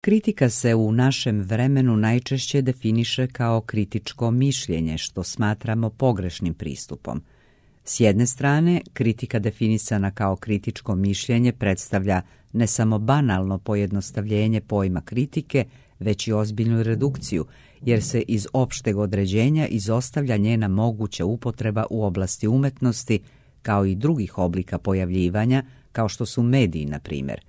Kritika se u našem vremenu najčešće definiše kao kritičko mišljenje, što smatramo pogrešnim pristupom. S jedne strane, kritika definisana kao kritičko mišljenje predstavlja ne samo banalno pojednostavljenje pojma kritike, već i ozbiljnu redukciju, jer se iz opšteg određenja izostavlja njena moguća upotreba u oblasti umetnosti, kao i drugih oblika pojavljivanja, kao što su mediji, na primjer.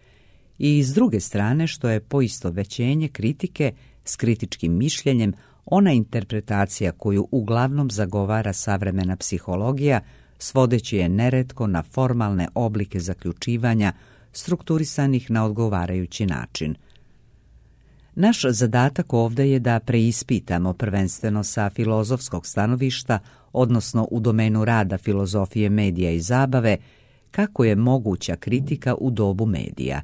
I s druge strane, što je poistovećenje kritike s kritičkim mišljenjem ona interpretacija koju uglavnom zagovara savremena psihologija, svodeći je neretko na formalne oblike zaključivanja strukturisanih na odgovarajući način. Naš zadatak ovdje je da preispitamo prvenstveno sa filozofskog stanovišta, odnosno u domenu rada filozofije medija i zabave, kako je moguća kritika u dobu medija.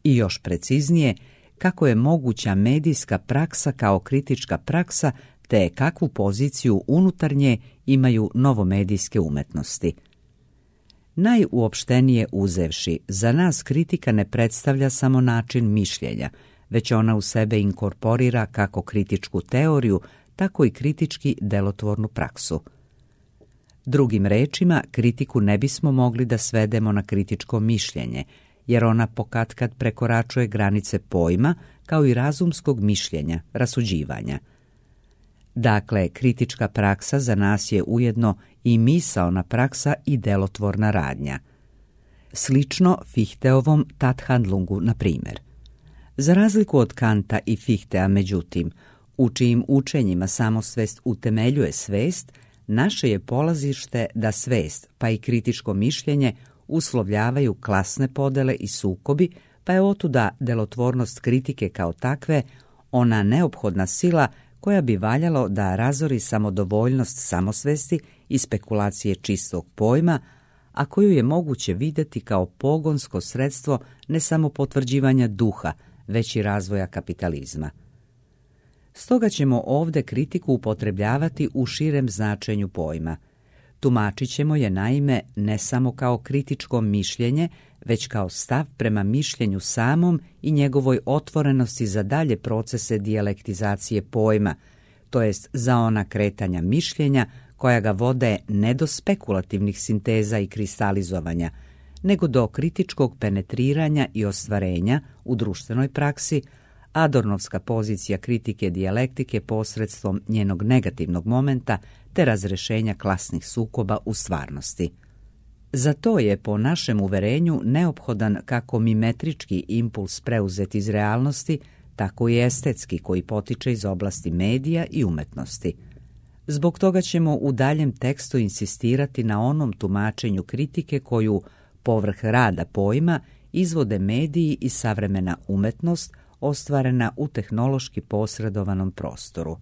I još preciznije, kako je moguća medijska praksa kao kritička praksa, te kakvu poziciju unutar nje imaju novomedijske umetnosti. Najuopštenije uzevši, za nas kritika ne predstavlja samo način mišljenja, već ona u sebe inkorporira kako kritičku teoriju, tako i kritički delotvornu praksu. Drugim rečima, kritiku ne bismo mogli da svedemo na kritičko mišljenje, jer ona pokatkad prekoračuje granice pojma kao i razumskog mišljenja, rasuđivanja. Dakle, kritička praksa za nas je ujedno i misaona praksa i delotvorna radnja. Slično Fichteovom Tathandlungu, na primjer. Za razliku od Kanta i Fichtea, međutim, u čijim učenjima samosvest utemeljuje svest, naše je polazište da svest, pa i kritičko mišljenje, uslovljavaju klasne podele i sukobi, pa je otuda delotvornost kritike kao takve ona neophodna sila koja bi valjalo da razori samodovoljnost samosvesti i spekulacije čistog pojma, a koju je moguće vidjeti kao pogonsko sredstvo ne samo potvrđivanja duha, već i razvoja kapitalizma. Stoga ćemo ovdje kritiku upotrebljavati u širem značenju pojma. Tumačit ćemo je naime ne samo kao kritičko mišljenje, već kao stav prema mišljenju samom i njegovoj otvorenosti za dalje procese dijalektizacije pojma, to jest za ona kretanja mišljenja koja ga vode ne do spekulativnih sinteza i kristalizovanja, nego do kritičkog penetriranja i ostvarenja u društvenoj praksi. Adornovska pozicija kritike dijalektike posredstvom njenog negativnog momenta te razrešenja klasnih sukoba u stvarnosti. Za to je po našem uverenju neophodan kako mimetrički impuls preuzet iz realnosti, tako i estetski koji potiče iz oblasti medija i umetnosti. Zbog toga ćemo u daljem tekstu insistirati na onom tumačenju kritike koju, povrh rada pojma, izvode mediji i savremena umetnost ostvarena u tehnološki posredovanom prostoru.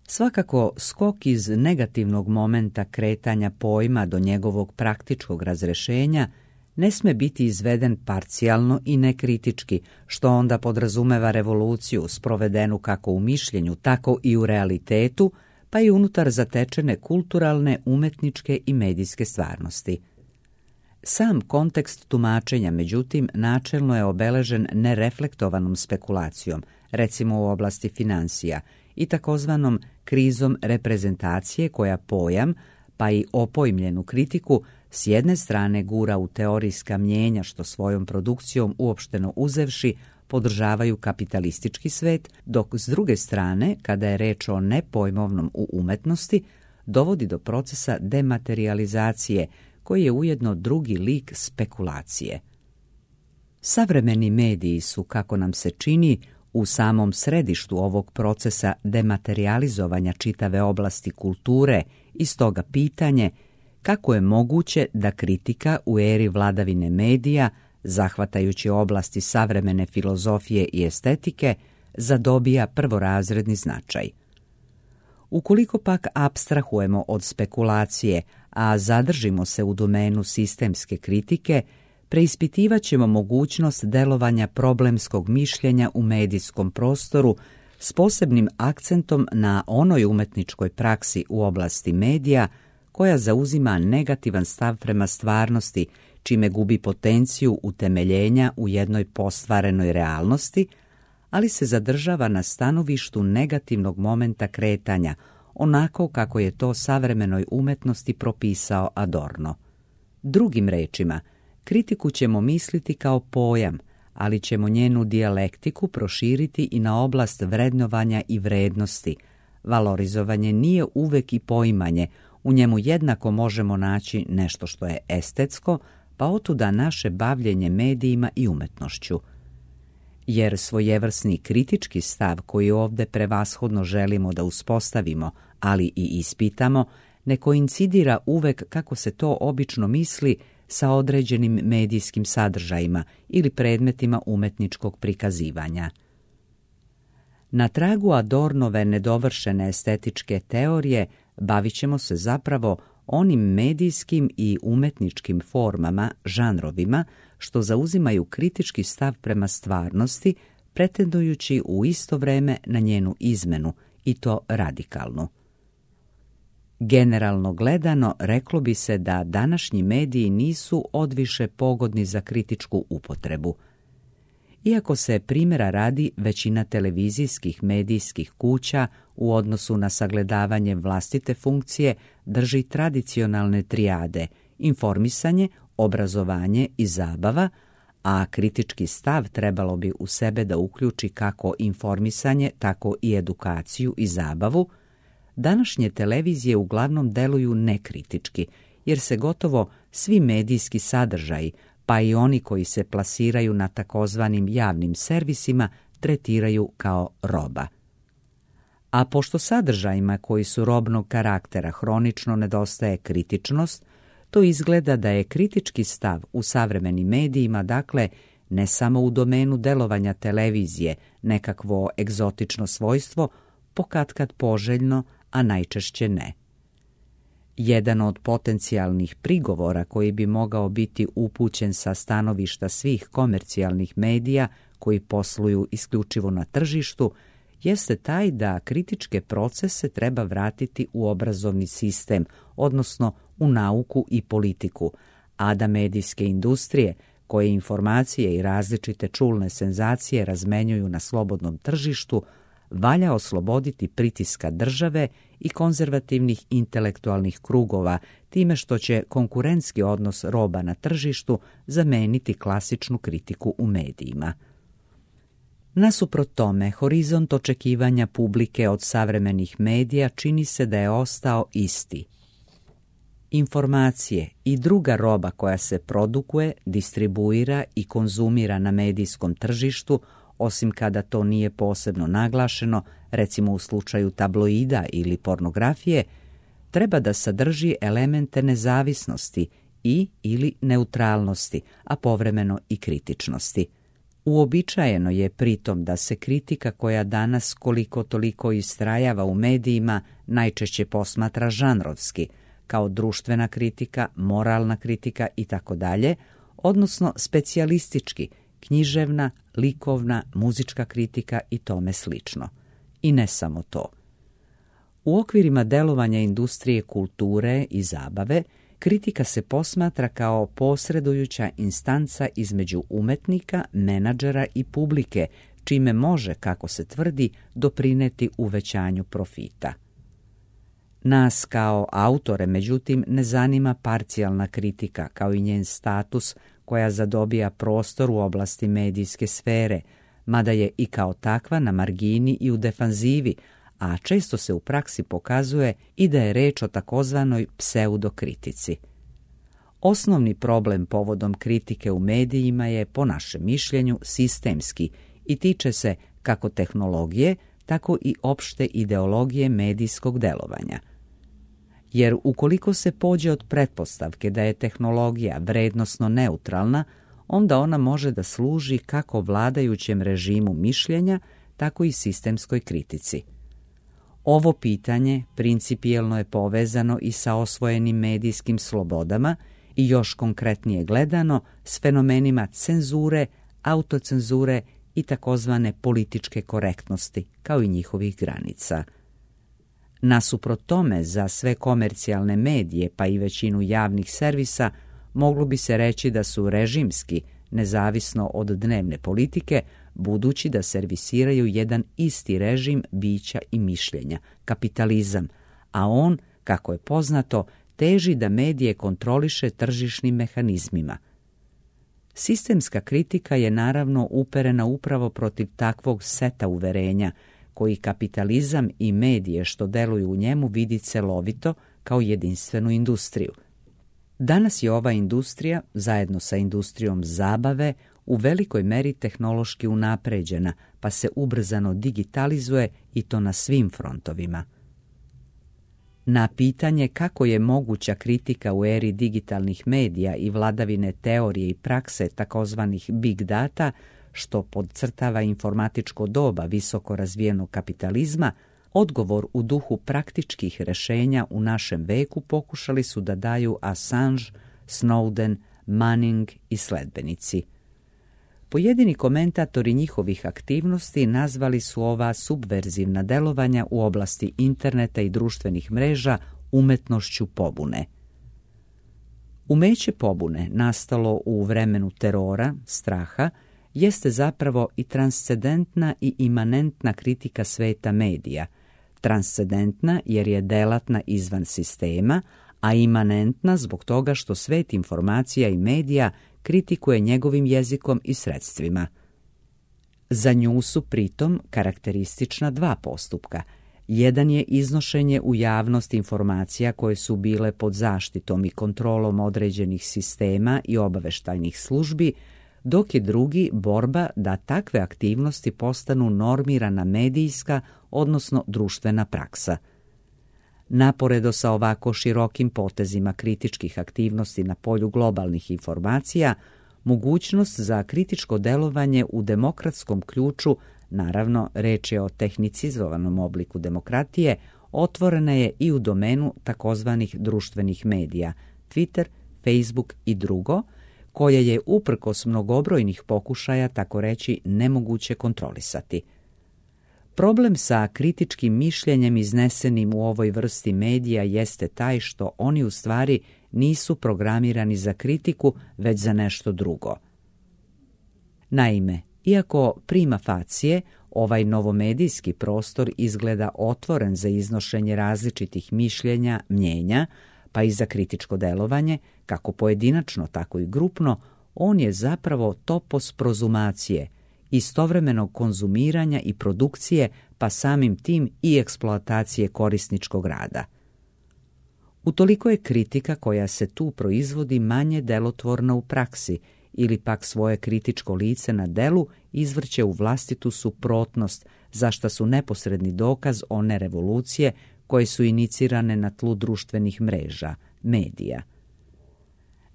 Svakako, skok iz negativnog momenta kretanja pojma do njegovog praktičkog razrešenja ne sme biti izveden parcijalno i nekritički, što onda podrazumeva revoluciju sprovedenu kako u mišljenju, tako i u realitetu, pa i unutar zatečene kulturalne, umetničke i medijske stvarnosti. Sam kontekst tumačenja, međutim, načelno je obeležen nereflektovanom spekulacijom, recimo u oblasti financija, i takozvanom krizom reprezentacije koja pojam, pa i opojmljenu kritiku, s jedne strane gura u teorijska mnjenja što svojom produkcijom uopšteno uzevši podržavaju kapitalistički svet, dok s druge strane, kada je reč o nepojmovnom u umetnosti, dovodi do procesa dematerializacije, koji je ujedno drugi lik spekulacije. Savremeni mediji su, kako nam se čini, u samom središtu ovog procesa dematerializovanja čitave oblasti kulture i stoga pitanje kako je moguće da kritika u eri vladavine medija, zahvatajući oblasti savremene filozofije i estetike, zadobija prvorazredni značaj. Ukoliko pak apstrahujemo od spekulacije, a zadržimo se u domenu sistemske kritike, preispitivat ćemo mogućnost delovanja problemskog mišljenja u medijskom prostoru s posebnim akcentom na onoj umetničkoj praksi u oblasti medija koja zauzima negativan stav prema stvarnosti, čime gubi potenciju utemeljenja u jednoj postvarenoj realnosti, ali se zadržava na stanovištu negativnog momenta kretanja, onako kako je to savremenoj umetnosti propisao Adorno. Drugim rečima, kritiku ćemo misliti kao pojam, ali ćemo njenu dijalektiku proširiti i na oblast vrednovanja i vrednosti. Valorizovanje nije uvek i poimanje, u njemu jednako možemo naći nešto što je estetsko, pa otuda naše bavljenje medijima i umetnošću. Jer svojevrsni kritički stav koji ovdje prevashodno želimo da uspostavimo, ali i ispitamo, ne koincidira uvek, kako se to obično misli, sa određenim medijskim sadržajima ili predmetima umetničkog prikazivanja. Na tragu Adornove nedovršene estetičke teorije bavit ćemo se zapravo onim medijskim i umetničkim formama, žanrovima, što zauzimaju kritički stav prema stvarnosti, pretendujući u isto vreme na njenu izmenu, i to radikalnu. Generalno gledano, reklo bi se da današnji mediji nisu odviše pogodni za kritičku upotrebu. Iako se primjera radi većina televizijskih medijskih kuća u odnosu na sagledavanje vlastite funkcije drži tradicionalne trijade: informisanje, obrazovanje i zabava, a kritički stav trebalo bi u sebe da uključi kako informisanje, tako i edukaciju i zabavu, današnje televizije uglavnom deluju nekritički, jer se gotovo svi medijski sadržaji, pa i oni koji se plasiraju na takozvanim javnim servisima, tretiraju kao roba. A pošto sadržajima koji su robnog karaktera hronično nedostaje kritičnost, to izgleda da je kritički stav u savremenim medijima, dakle, ne samo u domenu delovanja televizije, nekakvo egzotično svojstvo, pokatkad poželjno, a najčešće ne. Jedan od potencijalnih prigovora koji bi mogao biti upućen sa stanovišta svih komercijalnih medija koji posluju isključivo na tržištu jeste taj da kritičke procese treba vratiti u obrazovni sistem, odnosno u nauku i politiku, a da medijske industrije koje informacije i različite čulne senzacije razmenjuju na slobodnom tržištu valja osloboditi pritiska države i konzervativnih intelektualnih krugova time što će konkurentski odnos roba na tržištu zameniti klasičnu kritiku u medijima. Nasuprot tome, horizont očekivanja publike od savremenih medija čini se da je ostao isti. Informacije i druga roba koja se produkuje, distribuira i konzumira na medijskom tržištu, osim kada to nije posebno naglašeno, recimo u slučaju tabloida ili pornografije, treba da sadrži elemente nezavisnosti i ili neutralnosti, a povremeno i kritičnosti. Uobičajeno je pritom da se kritika koja danas koliko toliko istrajava u medijima najčešće posmatra žanrovski, kao društvena kritika, moralna kritika itd., odnosno specijalistički, književna, likovna, muzička kritika i tome slično. I ne samo to. U okvirima delovanja industrije kulture i zabave, kritika se posmatra kao posredujuća instanca između umetnika, menadžera i publike, čime može, kako se tvrdi, doprineti uvećanju profita. Nas kao autore, međutim, ne zanima parcijalna kritika, kao i njen status koja zadobija prostor u oblasti medijske sfere, mada je i kao takva na margini i u defanzivi, a često se u praksi pokazuje i da je reč o takozvanoj pseudokritici. Osnovni problem povodom kritike u medijima je, po našem mišljenju, sistemski i tiče se kako tehnologije, tako i opšte ideologije medijskog delovanja. Jer ukoliko se pođe od pretpostavke da je tehnologija vrednosno neutralna, onda ona može da služi kako vladajućem režimu mišljenja, tako i sistemskoj kritici. Ovo pitanje principijelno je povezano i sa osvojenim medijskim slobodama i još konkretnije gledano s fenomenima cenzure, autocenzure i takozvane političke korektnosti, kao i njihovih granica. Nasuprot tome, za sve komercijalne medije, pa i većinu javnih servisa, moglo bi se reći da su režimski, nezavisno od dnevne politike, budući da servisiraju jedan isti režim bića i mišljenja, kapitalizam, a on, kako je poznato, teži da medije kontroliše tržišnim mehanizmima. Sistemska kritika je naravno uperena upravo protiv takvog seta uverenja, koji kapitalizam i medije što deluju u njemu vidi celovito kao jedinstvenu industriju. Danas je ova industrija, zajedno sa industrijom zabave, u velikoj meri tehnološki unapređena, pa se ubrzano digitalizuje i to na svim frontovima. Na pitanje kako je moguća kritika u eri digitalnih medija i vladavine teorije i prakse takozvanih big data, što podcrtava informatičko doba visoko razvijenog kapitalizma, odgovor u duhu praktičkih rješenja u našem veku pokušali su da daju Assange, Snowden, Manning i sledbenici. Pojedini komentatori njihovih aktivnosti nazvali su ova subverzivna delovanja u oblasti interneta i društvenih mreža umetnošću pobune. Umeće pobune, nastalo u vremenu terora, straha, jeste zapravo i transcendentna i imanentna kritika sveta medija. Transcendentna jer je delatna izvan sistema, a imanentna zbog toga što svet informacija i medija kritikuje njegovim jezikom i sredstvima. Za nju su pritom karakteristična dva postupka. Jedan je iznošenje u javnost informacija koje su bile pod zaštitom i kontrolom određenih sistema i obaveštajnih službi, dok je drugi borba da takve aktivnosti postanu normirana medijska, odnosno društvena praksa. Naporedo sa ovako širokim potezima kritičkih aktivnosti na polju globalnih informacija, mogućnost za kritičko delovanje u demokratskom ključu, naravno reč je o tehnicizovanom obliku demokratije, otvorena je i u domenu takozvanih društvenih medija, Twitter, Facebook i drugo, koje je uprkos mnogobrojnih pokušaja, tako reći, nemoguće kontrolisati. Problem sa kritičkim mišljenjem iznesenim u ovoj vrsti medija jeste taj što oni u stvari nisu programirani za kritiku, već za nešto drugo. Naime, iako prima facie, ovaj novomedijski prostor izgleda otvoren za iznošenje različitih mišljenja, mnjenja, pa i za kritičko delovanje, kako pojedinačno, tako i grupno, on je zapravo topos prozumacije, istovremenog konzumiranja i produkcije, pa samim tim i eksploatacije korisničkog rada. Utoliko je kritika koja se tu proizvodi manje delotvorna u praksi, ili pak svoje kritičko lice na delu izvrće u vlastitu suprotnost, za šta su neposredni dokaz one revolucije koje su inicirane na tlu društvenih mreža, medija.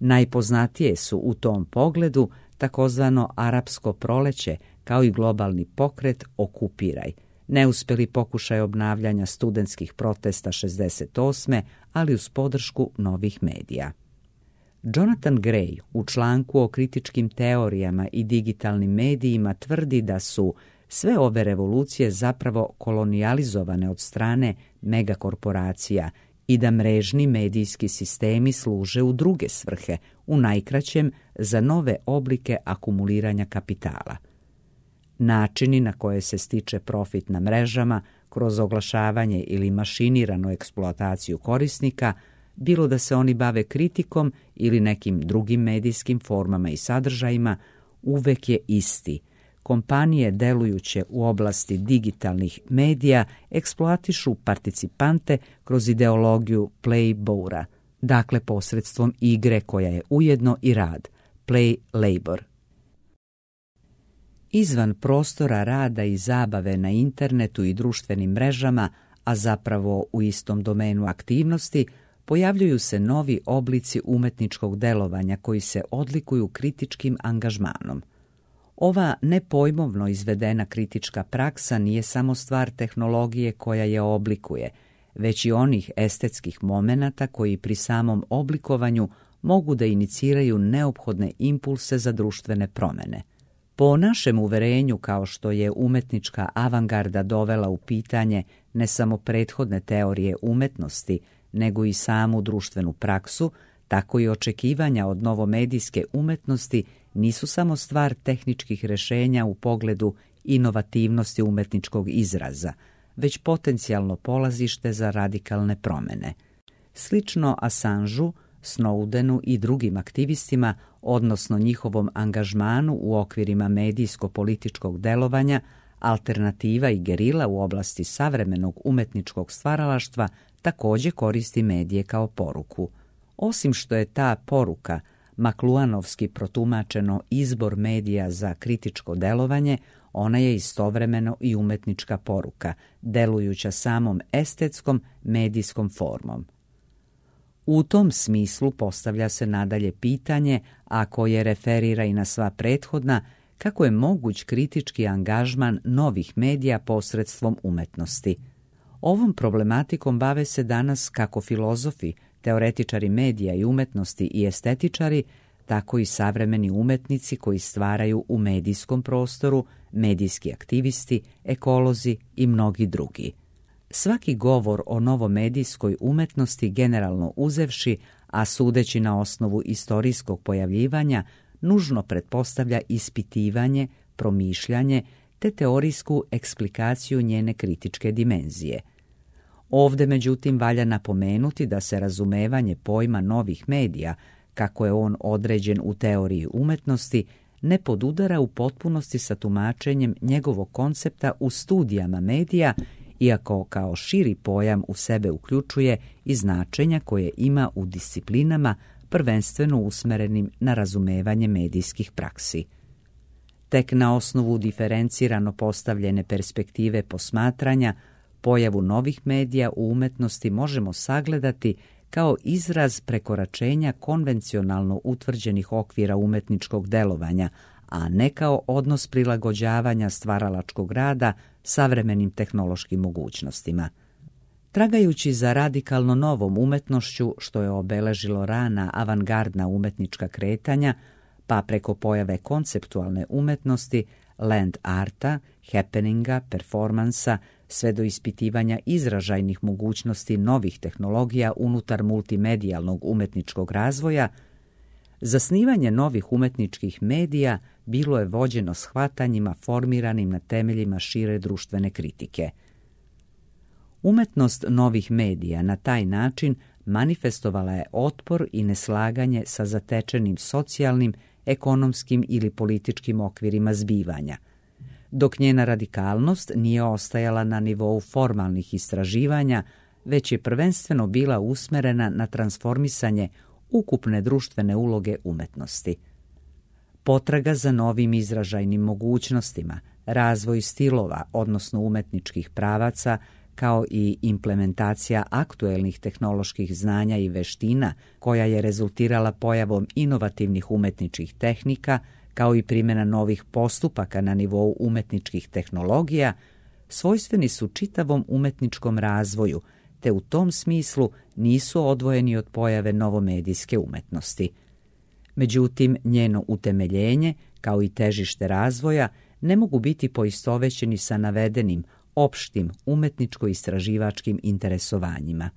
Najpoznatije su u tom pogledu takozvano arapsko proleće, kao i globalni pokret Okupiraj, neuspjeli pokušaj obnavljanja studentskih protesta 68. ali uz podršku novih medija. Jonathan Gray u članku o kritičkim teorijama i digitalnim medijima tvrdi da su sve ove revolucije zapravo kolonijalizovane od strane megakorporacija i da mrežni medijski sistemi služe u druge svrhe, u najkraćem za nove oblike akumuliranja kapitala. Načini na koje se stiče profit na mrežama kroz oglašavanje ili mašiniranu eksploataciju korisnika, bilo da se oni bave kritikom ili nekim drugim medijskim formama i sadržajima, uvek je isti. Kompanije delujuće u oblasti digitalnih medija eksploatišu participante kroz ideologiju play-bora, dakle posredstvom igre koja je ujedno i rad, play labor. Izvan prostora rada i zabave na internetu i društvenim mrežama, a zapravo u istom domenu aktivnosti, pojavljuju se novi oblici umetničkog delovanja koji se odlikuju kritičkim angažmanom. Ova nepojmovno izvedena kritička praksa nije samo stvar tehnologije koja je oblikuje, već i onih estetskih momenata koji pri samom oblikovanju mogu da iniciraju neophodne impulse za društvene promjene. Po našem uverenju, kao što je umetnička avangarda dovela u pitanje ne samo prethodne teorije umetnosti, nego i samu društvenu praksu, tako i očekivanja od novomedijske umetnosti nisu samo stvar tehničkih rješenja u pogledu inovativnosti umetničkog izraza, već potencijalno polazište za radikalne promjene. Slično Assangeu, Snowdenu i drugim aktivistima, odnosno njihovom angažmanu u okvirima medijsko-političkog delovanja, alternativa i gerila u oblasti savremenog umetničkog stvaralaštva također koristi medije kao poruku. Osim što je ta poruka makluanovski protumačeno izbor medija za kritičko delovanje, ona je istovremeno i umetnička poruka, delujuća samom estetskom medijskom formom. U tom smislu postavlja se nadalje pitanje, a koje referira i na sva prethodna, kako je moguć kritički angažman novih medija posredstvom umetnosti. Ovom problematikom bave se danas kako filozofi, teoretičari medija i umetnosti i estetičari, tako i savremeni umetnici koji stvaraju u medijskom prostoru, medijski aktivisti, ekolozi i mnogi drugi. Svaki govor o novomedijskoj umetnosti generalno uzevši, a sudeći na osnovu istorijskog pojavljivanja, nužno pretpostavlja ispitivanje, promišljanje te teorijsku eksplikaciju njene kritičke dimenzije. Ovdje, međutim, valja napomenuti da se razumevanje pojma novih medija, kako je on određen u teoriji umetnosti, ne podudara u potpunosti sa tumačenjem njegovog koncepta u studijama medija, iako kao širi pojam u sebe uključuje i značenja koje ima u disciplinama prvenstveno usmerenim na razumevanje medijskih praksi. Tek na osnovu diferencirano postavljene perspektive posmatranja, pojavu novih medija u umetnosti možemo sagledati kao izraz prekoračenja konvencionalno utvrđenih okvira umetničkog delovanja, a ne kao odnos prilagođavanja stvaralačkog rada savremenim tehnološkim mogućnostima. Tragajući za radikalno novom umetnošću, što je obeležilo rana avangardna umetnička kretanja, pa preko pojave konceptualne umetnosti, land arta, happeninga, performansa, sve do ispitivanja izražajnih mogućnosti novih tehnologija unutar multimedijalnog umetničkog razvoja, zasnivanje novih umetničkih medija bilo je vođeno shvatanjima formiranim na temeljima šire društvene kritike. Umetnost novih medija na taj način manifestovala je otpor i neslaganje sa zatečenim socijalnim, ekonomskim ili političkim okvirima zbivanja, dok njena radikalnost nije ostajala na nivou formalnih istraživanja, već je prvenstveno bila usmerena na transformisanje ukupne društvene uloge umetnosti. Potraga za novim izražajnim mogućnostima, razvoj stilova, odnosno umetničkih pravaca, kao i implementacija aktuelnih tehnoloških znanja i veština, koja je rezultirala pojavom inovativnih umetničkih tehnika, kao i primjena novih postupaka na nivou umetničkih tehnologija, svojstveni su čitavom umetničkom razvoju, te u tom smislu nisu odvojeni od pojave novomedijske umetnosti. Međutim, njeno utemeljenje, kao i težište razvoja, ne mogu biti poistovećeni sa navedenim opštim umetničko-istraživačkim interesovanjima.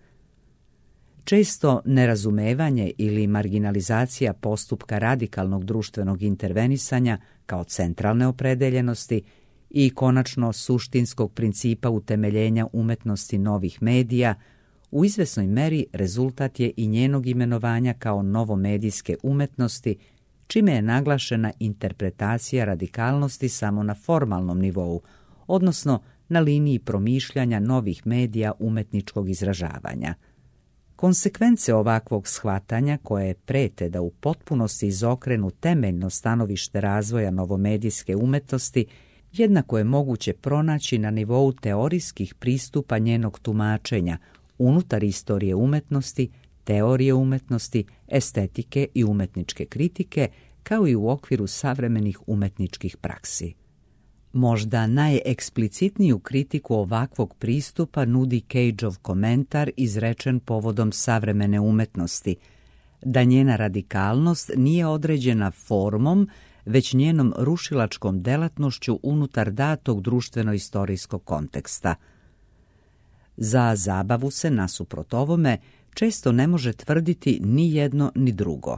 Često nerazumevanje ili marginalizacija postupka radikalnog društvenog intervenisanja kao centralne opredeljenosti i konačno suštinskog principa utemeljenja umetnosti novih medija u izvesnoj meri rezultat je i njenog imenovanja kao novomedijske umetnosti, čime je naglašena interpretacija radikalnosti samo na formalnom nivou, odnosno na liniji promišljanja novih medija umetničkog izražavanja. Konsekvence ovakvog shvatanja, koje prete da u potpunosti izokrenu temeljno stanovište razvoja novomedijske umetnosti, jednako je moguće pronaći na nivou teorijskih pristupa njenog tumačenja unutar istorije umetnosti, teorije umetnosti, estetike i umetničke kritike, kao i u okviru savremenih umetničkih praksi. Možda najeksplicitniju kritiku ovakvog pristupa nudi Cageov komentar izrečen povodom savremene umetnosti, da njena radikalnost nije određena formom, već njenom rušilačkom delatnošću unutar datog društveno-istorijskog konteksta. Za zabavu se, nasuprot ovome, često ne može tvrditi ni jedno ni drugo.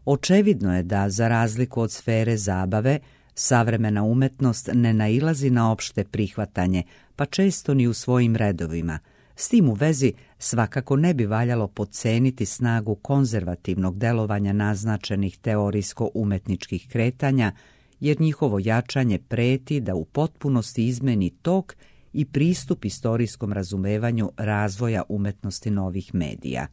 Očevidno je da, za razliku od sfere zabave, savremena umetnost ne nailazi na opšte prihvatanje, pa često ni u svojim redovima. S tim u vezi svakako ne bi valjalo podceniti snagu konzervativnog delovanja naznačenih teorijsko-umetničkih kretanja, jer njihovo jačanje preti da u potpunosti izmeni tok i pristup istorijskom razumevanju razvoja umetnosti novih medija.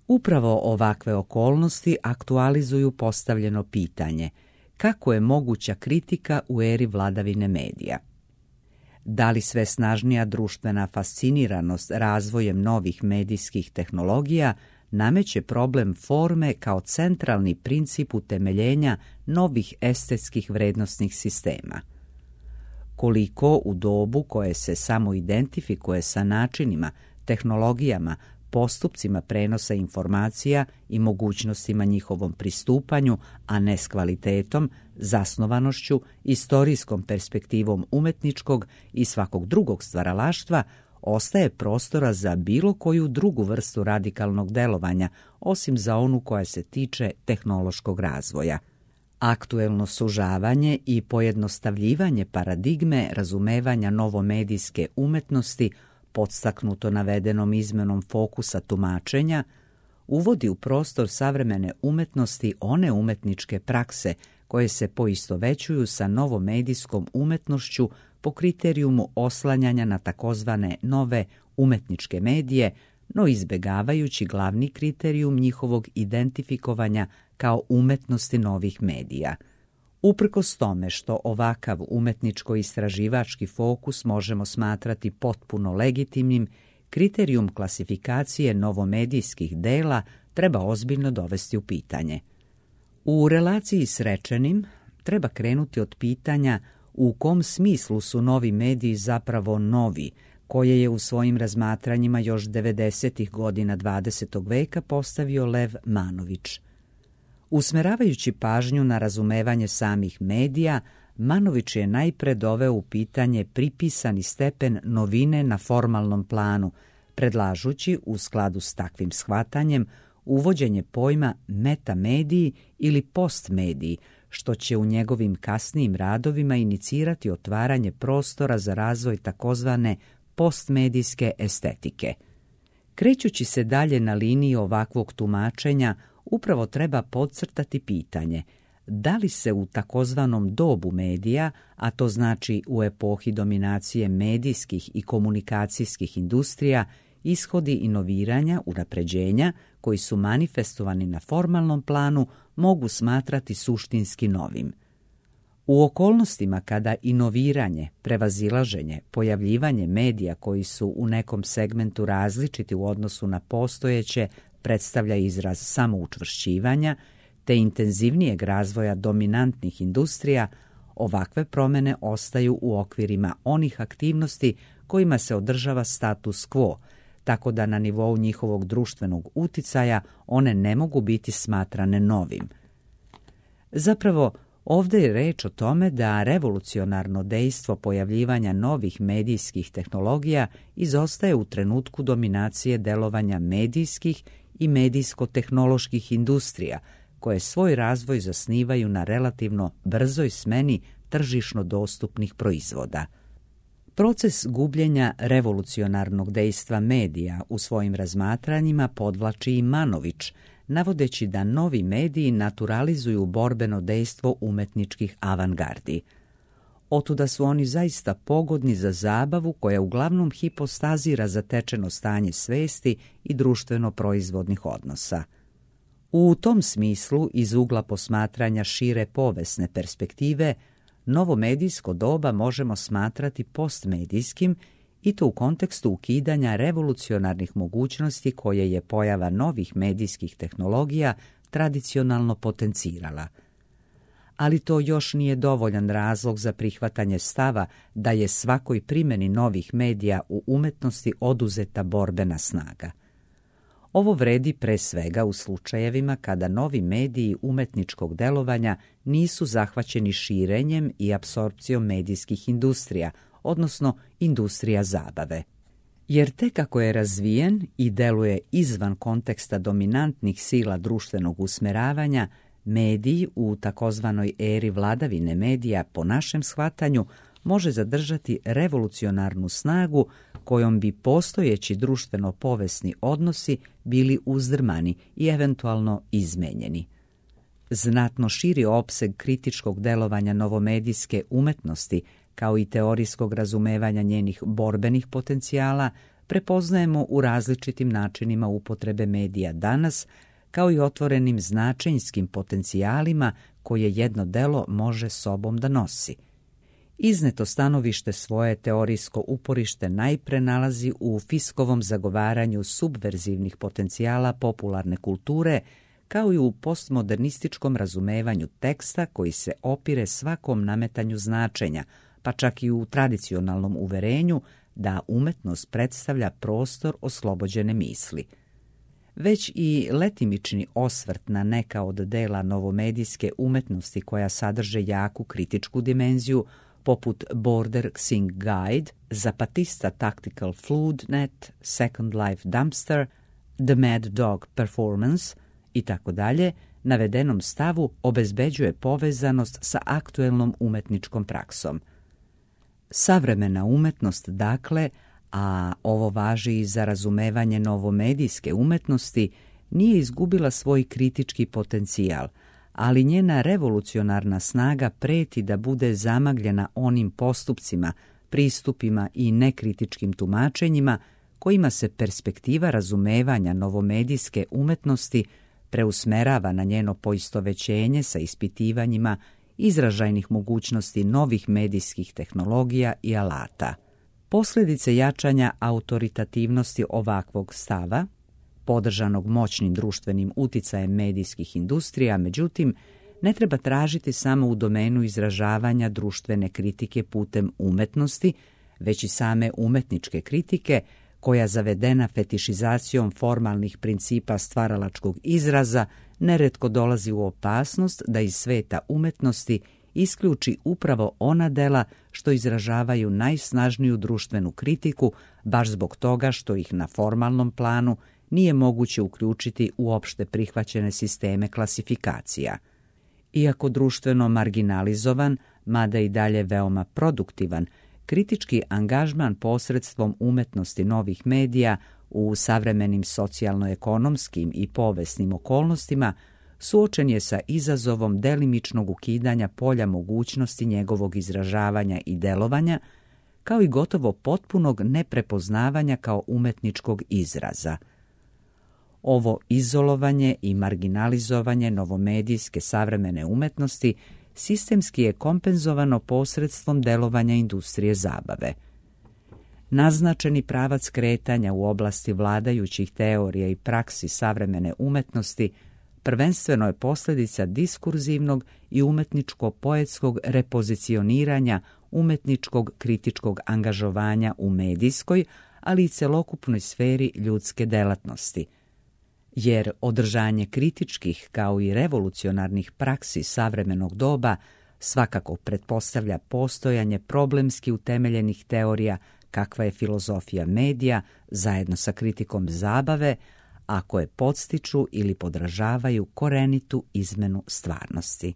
Upravo ovakve okolnosti aktualizuju postavljeno pitanje: kako je moguća kritika u eri vladavine medija? Da li sve snažnija društvena fasciniranost razvojem novih medijskih tehnologija nameće problem forme kao centralni princip utemeljenja novih estetskih vrednosnih sistema? Koliko u dobu koje se samo identifikuje sa načinima, tehnologijama, postupcima prenosa informacija i mogućnostima njihovom pristupanju, a ne s kvalitetom, zasnovanošću, istorijskom perspektivom umetničkog i svakog drugog stvaralaštva, ostaje prostora za bilo koju drugu vrstu radikalnog delovanja, osim za onu koja se tiče tehnološkog razvoja. Aktuelno sužavanje i pojednostavljivanje paradigme razumevanja novomedijske umetnosti, podstaknuto navedenom izmenom fokusa tumačenja, uvodi u prostor savremene umetnosti one umetničke prakse koje se poistovećuju sa novomedijskom umetnošću po kriterijumu oslanjanja na takozvane nove umetničke medije, no izbegavajući glavni kriterijum njihovog identifikovanja kao umetnosti novih medija. Uprkos tome što ovakav umetničko-istraživački fokus možemo smatrati potpuno legitimnim, kriterijum klasifikacije novomedijskih dela treba ozbiljno dovesti u pitanje. U relaciji s rečenim treba krenuti od pitanja u kom smislu su novi mediji zapravo novi, koje je u svojim razmatranjima još 90. godina 20. veka postavio Lev Manović. Usmeravajući pažnju na razumevanje samih medija, Manović je najpre doveo u pitanje pripisani stepen novine na formalnom planu, predlažući u skladu s takvim shvatanjem uvođenje pojma metamediji ili postmediji, što će u njegovim kasnijim radovima inicirati otvaranje prostora za razvoj takozvane postmedijske estetike. Krećući se dalje na liniji ovakvog tumačenja, upravo treba podcrtati pitanje da li se u takozvanom dobu medija, a to znači u epohi dominacije medijskih i komunikacijskih industrija, ishodi inoviranja, unapređenja koji su manifestovani na formalnom planu mogu smatrati suštinski novim. U okolnostima kada inoviranje, prevazilaženje, pojavljivanje medija koji su u nekom segmentu različiti u odnosu na postojeće predstavlja izraz samoučvršćivanja te intenzivnijeg razvoja dominantnih industrija, ovakve promjene ostaju u okvirima onih aktivnosti kojima se održava status quo, tako da na nivou njihovog društvenog uticaja one ne mogu biti smatrane novim. Zapravo, ovdje je reč o tome da revolucionarno dejstvo pojavljivanja novih medijskih tehnologija izostaje u trenutku dominacije delovanja medijskih i medijsko-tehnoloških industrija, koje svoj razvoj zasnivaju na relativno brzoj smeni tržišno dostupnih proizvoda. Proces gubljenja revolucionarnog dejstva medija u svojim razmatranjima podvlači i Manović, navodeći da novi mediji naturalizuju borbeno dejstvo umetničkih avangardi. Otuda su oni zaista pogodni za zabavu koja uglavnom hipostazira zatečeno stanje svesti i društveno-proizvodnih odnosa. U tom smislu, iz ugla posmatranja šire povijesne perspektive, novo medijsko doba možemo smatrati postmedijskim i to u kontekstu ukidanja revolucionarnih mogućnosti koje je pojava novih medijskih tehnologija tradicionalno potencirala. Ali to još nije dovoljan razlog za prihvatanje stava da je svakoj primjeni novih medija u umetnosti oduzeta borbena snaga. Ovo vredi pre svega u slučajevima kada novi mediji umetničkog delovanja nisu zahvaćeni širenjem i apsorpcijom medijskih industrija, odnosno industrija zabave. Jer tek ako je razvijen i deluje izvan konteksta dominantnih sila društvenog usmeravanja, Medij u takozvanoj eri vladavine medija, po našem shvatanju, može zadržati revolucionarnu snagu kojom bi postojeći društveno-povesni odnosi bili uzdrmani i eventualno izmenjeni. Znatno širi opseg kritičkog delovanja novomedijske umetnosti, kao i teorijskog razumevanja njenih borbenih potencijala, prepoznajemo u različitim načinima upotrebe medija danas, kao i otvorenim značenjskim potencijalima koje jedno delo može sobom da nosi. Izneto stanovište svoje teorijsko uporište najpre nalazi u Fiskovom zagovaranju subverzivnih potencijala popularne kulture, kao i u postmodernističkom razumevanju teksta koji se opire svakom nametanju značenja, pa čak i u tradicionalnom uverenju da umetnost predstavlja prostor oslobođene misli. Već i letimični osvrt na neka od dela novomedijske umetnosti koja sadrže jaku kritičku dimenziju, poput Border Xing Guide, Zapatista Tactical Floodnet, Second Life Dumpster, The Mad Dog Performance i tako dalje, navedenom stavu obezbeđuje povezanost sa aktuelnom umetničkom praksom. Savremena umetnost, dakle, a ovo važi i za razumevanje novomedijske umetnosti, nije izgubila svoj kritički potencijal, ali njena revolucionarna snaga preti da bude zamagljena onim postupcima, pristupima i nekritičkim tumačenjima kojima se perspektiva razumevanja novomedijske umetnosti preusmerava na njeno poistovećenje sa ispitivanjima izražajnih mogućnosti novih medijskih tehnologija i alata. Posljedice jačanja autoritativnosti ovakvog stava, podržanog moćnim društvenim uticajem medijskih industrija, međutim, ne treba tražiti samo u domenu izražavanja društvene kritike putem umetnosti, već i same umetničke kritike, koja zavedena fetišizacijom formalnih principa stvaralačkog izraza neretko dolazi u opasnost da iz sveta umetnosti isključi upravo ona dela što izražavaju najsnažniju društvenu kritiku, baš zbog toga što ih na formalnom planu nije moguće uključiti u opšte prihvaćene sisteme klasifikacija. Iako društveno marginalizovan, mada i dalje veoma produktivan, kritički angažman posredstvom umetnosti novih medija u savremenim socijalno-ekonomskim i povesnim okolnostima suočen je sa izazovom delimičnog ukidanja polja mogućnosti njegovog izražavanja i delovanja, kao i gotovo potpunog neprepoznavanja kao umetničkog izraza. Ovo izolovanje i marginalizovanje novomedijske savremene umetnosti sistemski je kompenzovano posredstvom delovanja industrije zabave. Naznačeni pravac kretanja u oblasti vladajućih teorija i praksi savremene umetnosti prvenstveno je posljedica diskurzivnog i umetničko-poetskog repozicioniranja umetničkog kritičkog angažovanja u medijskoj, ali i celokupnoj sferi ljudske delatnosti. Jer održanje kritičkih kao i revolucionarnih praksi savremenog doba svakako pretpostavlja postojanje problemski utemeljenih teorija kakva je filozofija medija zajedno sa kritikom zabave, a koje podstiču ili podražavaju korenitu izmenu stvarnosti.